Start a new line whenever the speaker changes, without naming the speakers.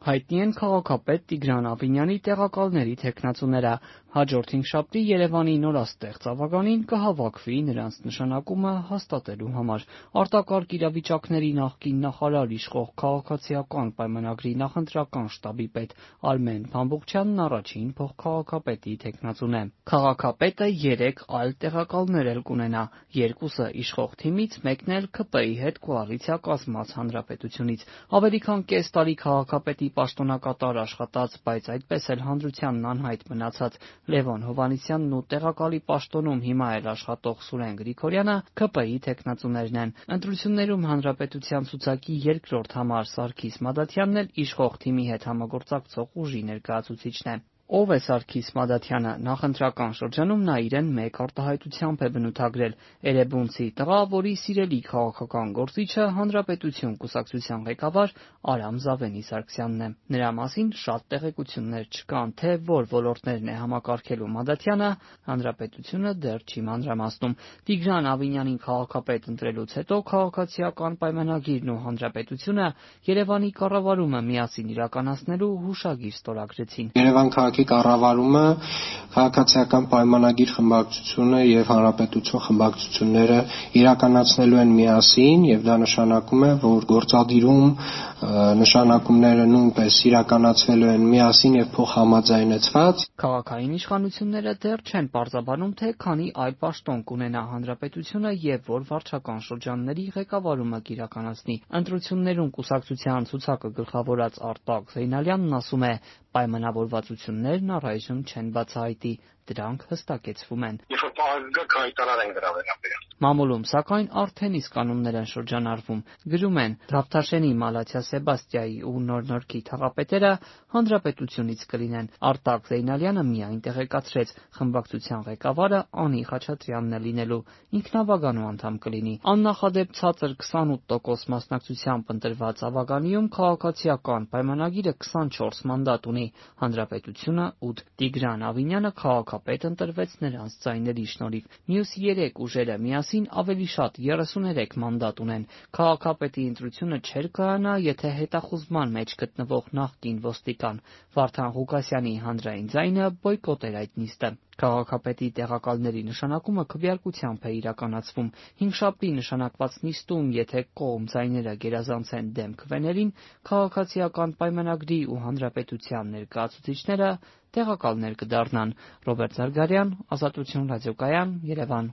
Հայտնի են քաղաքապետ Տիգրան Ավինյանի տեղակալների թեկնածուները։ Հաջորդ հինգշաբթի Երևանի նորաստեղծ ավագանին կհավաքվի նրանց նշանակումը հաստատելու համար։ Արտակարգ իրավիճակների նախկին նախարար, իշխող Քաղաքացիական պայմանագրի նախընտրական շտաբի պետ Արմեն Փամբուխչյանն առաջին փոխքաղաքապետի թեկնածուն է։ Քաղաքապետը 3 այլ տեղակալներ էլ կունենա, երկուսը իշխող թիմից, մեկն էլ ՔՊ-ի հետ կոալիցիա կազմած Հանրապետությունից։ Ավելի քան կես տարի քաղաքապետի պաշտոնակատար աշխատած, բայց այդպես էլ հանրությանն անհայտ մնացած Լևոն Հովհաննիսյանն ու տեղակալի պաշտոնում հիմա էլ աշխատող Սուրեն Գրիգորյանը ՔՊ-ի թեկնածուներն են։ Ընտրություններում Հանրապետության ցուցակի երկրորդ համար Սարգիս Մադաթյանն էլ իշխող թիմի հետ համագործակցող ուժի ներկայացուցիչն է։ Ով է Սարգիս Մադաթյանը։ Նախընտրական շրջանում նա իրեն մեկ արտահայտությամբ է բնութագրել՝ էրեբունցի տղա, որի սիրելի քաղաքական գործիչը Հանրապետություն կուսակցության ղեկավար Արամ Զավենի Սարգսյանն է։ Նրա մասին շատ տեղեկություններ չկան, թե որ ոլորտներն է համակարգելու Մադաթյանը, Հանրապետությունը դեռ չի մանրամասնում։ Տիգրան Ավինյանին քաղաքապետ ընտրելուց հետո Քաղաքացիական պայմանագիրն ու Հանրապետությունը Երևանի կառավարումը միասին իրականացնելու հուշագիր ստորագրեցին։
Երևան քաղաքի կառավարումը Քաղաքացիական պայմանագիր խմբակցությունը եւ Հանրապետություն խմբակցությունները իրականացնելու են միասին, եւ դա նշանակում է, որ գործադիրում նշանակումները նույնպես իրականացվելու են միասին եւ փոխհամաձայնեցված։
Քաղաքային իշխանությունները դեռ չեն պարզաբանում, թե քանի այլ պաշտոն կունենա Հանրապետությունը եւ որ վարչական շրջանների ղեկավարումը կիրականացնի։ Ընտրություններում կուսակցության ցուցակը գլխավորած Արտակ Զեյնալյանն ասում է, պայմանավորվածություններն առայժմ չեն բացահայտի, դրանք հստակեցվում են։
Երբ որ հայտարար են դրա վերաբերյալ։
Մամուլում, սակայն, արդեն իսկ կանոններ են շրջանառվում։ Գրում են, Դավթաշենի Մալաթիա Սեբաստիայի ու Նոր-Նորքի թաղապետերը Հանրապետությունից կլինեն։ Արտակ Զեյնալյանը միայն տեղեկացրեց, խմբակցության ղեկավարը Անի Խաչատրյանն է լինելու, ինքնավագանու անդամ կլինի։ Աննախադեպ ցածր 28% մասնակցությամբ ընտրված ավագանիում Քաղաքացիական պայմանագիրը 24 մանդատ ունի, Հանրապետությունը 8։ Տիգրան Ավինյանը քաղաքապետ ընտրվեց նրանց ձայների շնորհիվ։ Մյուս 3 ուժերը միասին ավելի շատ 33 մանդատ ունեն։ Քաղաքապետի ընտրությունը չէր կայանա, եթե հետախուզման մեջ գտնվող նախկին ոստիկան Վարդան Ղուկասյանի հանրային ձայնը բոյկոտեր այդ նիստը։ Քաղաքապետի տեղակալների նշանակումը քվեարկությամբ է իրականացվում։ Հինգշաբթի նշանակված նիստում, եթե կողմ ձայները գերազանցեն դեմ քվեներին, Քաղաքացիական պայմանագրի ու Հանրապետության ներկայացուցիչները տեղակալներ կդառնան։ Ռոբերտ Զարգարյան, Ազատություն ռադիոկայան, Երևան։